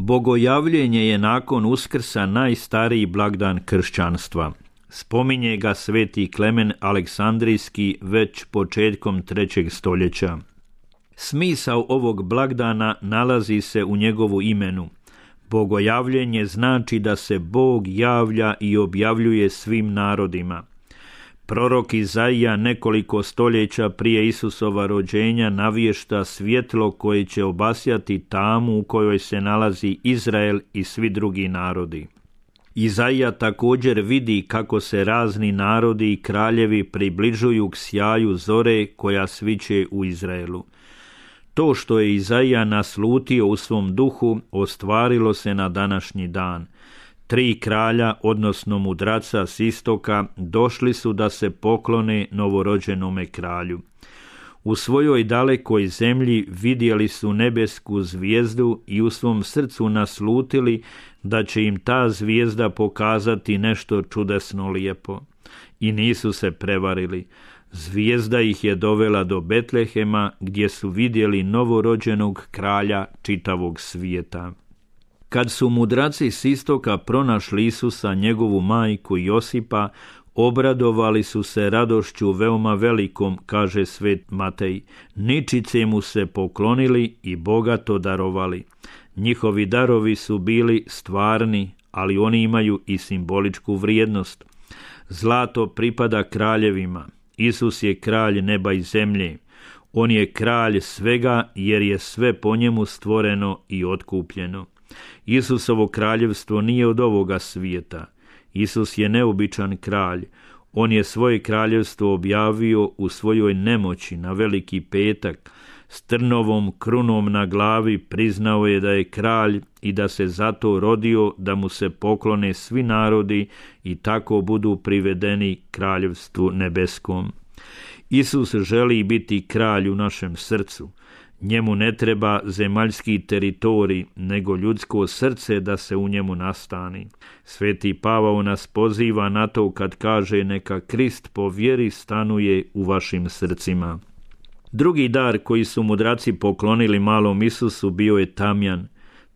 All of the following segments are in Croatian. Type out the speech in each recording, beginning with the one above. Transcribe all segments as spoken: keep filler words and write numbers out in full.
Bogojavljenje je nakon Uskrsa najstariji blagdan kršćanstva. Spominje ga sveti Klemen Aleksandrijski već početkom trećeg stoljeća. Smisao ovog blagdana nalazi se u njegovu imenu. Bogojavljenje znači da se Bog javlja i objavljuje svim narodima. Prorok Izaija nekoliko stoljeća prije Isusova rođenja navješta svjetlo koje će obasjati tamu u kojoj se nalazi Izrael i svi drugi narodi. Izaija također vidi kako se razni narodi i kraljevi približuju k sjaju zore koja sviće u Izraelu. To što je Izaija naslutio u svom duhu ostvarilo se na današnji dan. Tri kralja, odnosno mudraca s istoka, došli su da se poklone novorođenome kralju. U svojoj dalekoj zemlji vidjeli su nebesku zvijezdu i u svom srcu naslutili da će im ta zvijezda pokazati nešto čudesno lijepo. I nisu se prevarili. Zvijezda ih je dovela do Betlehema, gdje su vidjeli novorođenog kralja čitavog svijeta. Kad su mudraci s istoka pronašli Isusa, njegovu majku Josipa, obradovali su se radošću veoma velikom, kaže svet Matej. Ničice mu se poklonili i bogato darovali. Njihovi darovi su bili stvarni, ali oni imaju i simboličku vrijednost. Zlato pripada kraljevima. Isus je kralj neba i zemlje. On je kralj svega jer je sve po njemu stvoreno i otkupljeno. Isusovo kraljevstvo nije od ovoga svijeta. Isus je neobičan kralj. On je svoje kraljevstvo objavio u svojoj nemoći na Veliki petak. S trnovom krunom na glavi priznao je da je kralj i da se zato rodio da mu se poklone svi narodi i tako budu privedeni kraljevstvu nebeskom. Isus želi biti kralj u našem srcu. Njemu ne treba zemaljski teritorij, nego ljudsko srce da se u njemu nastani. Sveti Pavao nas poziva na to kad kaže neka Krist po vjeri stanuje u vašim srcima. Drugi dar koji su mudraci poklonili malom Isusu bio je tamjan.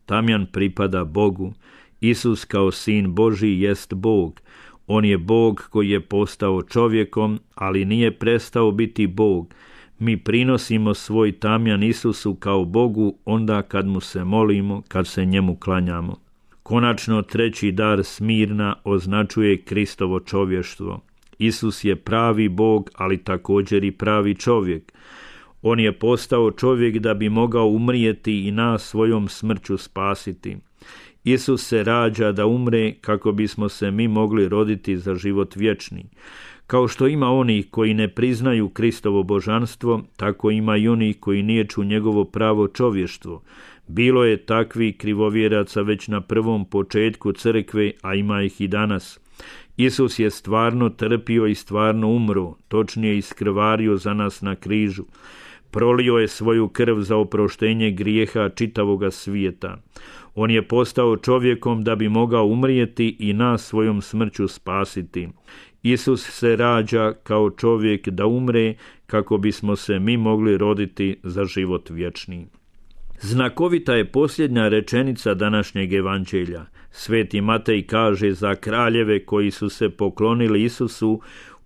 Tamjan pripada Bogu. Isus kao sin Božji jest Bog. On je Bog koji je postao čovjekom, ali nije prestao biti Bog. Mi prinosimo svoj tamjan Isusu kao Bogu onda kad mu se molimo, kad se njemu klanjamo. Konačno, treći dar Smirna označuje Kristovo čovještvo. Isus je pravi Bog, ali također i pravi čovjek. On je postao čovjek da bi mogao umrijeti i nas svojom smrću spasiti. Isus se rađa da umre kako bismo se mi mogli roditi za život vječni. Kao što ima onih koji ne priznaju Kristovo božanstvo, tako ima i onih koji niječu njegovo pravo čovještvo. Bilo je takvi krivovjeraca već na prvom početku crkve, a ima ih i danas. Isus je stvarno trpio i stvarno umro, točnije iskrvario za nas na križu. Prolio je svoju krv za oproštenje grijeha čitavoga svijeta. On je postao čovjekom da bi mogao umrijeti i nas svojom smrću spasiti. Isus se rađa kao čovjek da umre kako bismo se mi mogli roditi za život vječni. Znakovita je posljednja rečenica današnjeg evanđelja. Sveti Matej kaže za kraljeve koji su se poklonili Isusu,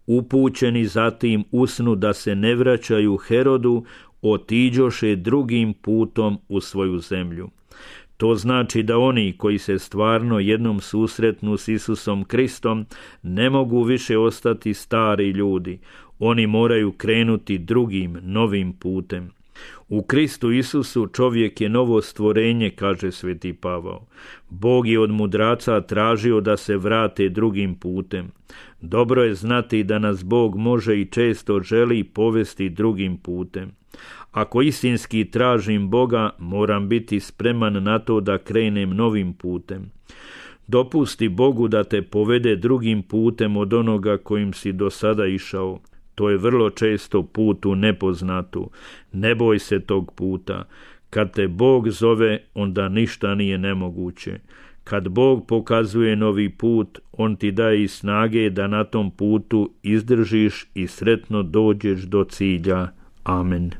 upućeni zatim usnu da se ne vraćaju Herodu, otiđoše drugim putom u svoju zemlju. To znači da oni koji se stvarno jednom susretnu s Isusom Kristom ne mogu više ostati stari ljudi. Oni moraju krenuti drugim, novim putem. U Kristu Isusu čovjek je novo stvorenje, kaže sveti Pavao. Bog je od mudraca tražio da se vrate drugim putem. Dobro je znati da nas Bog može i često želi povesti drugim putem. Ako istinski tražim Boga, moram biti spreman na to da krenem novim putem. Dopusti Bogu da te povede drugim putem od onoga kojim si do sada išao. To je vrlo često put u nepoznatu. Ne boj se tog puta. Kad te Bog zove, onda ništa nije nemoguće. Kad Bog pokazuje novi put, on ti daje i snage da na tom putu izdržiš i sretno dođeš do cilja. Amen.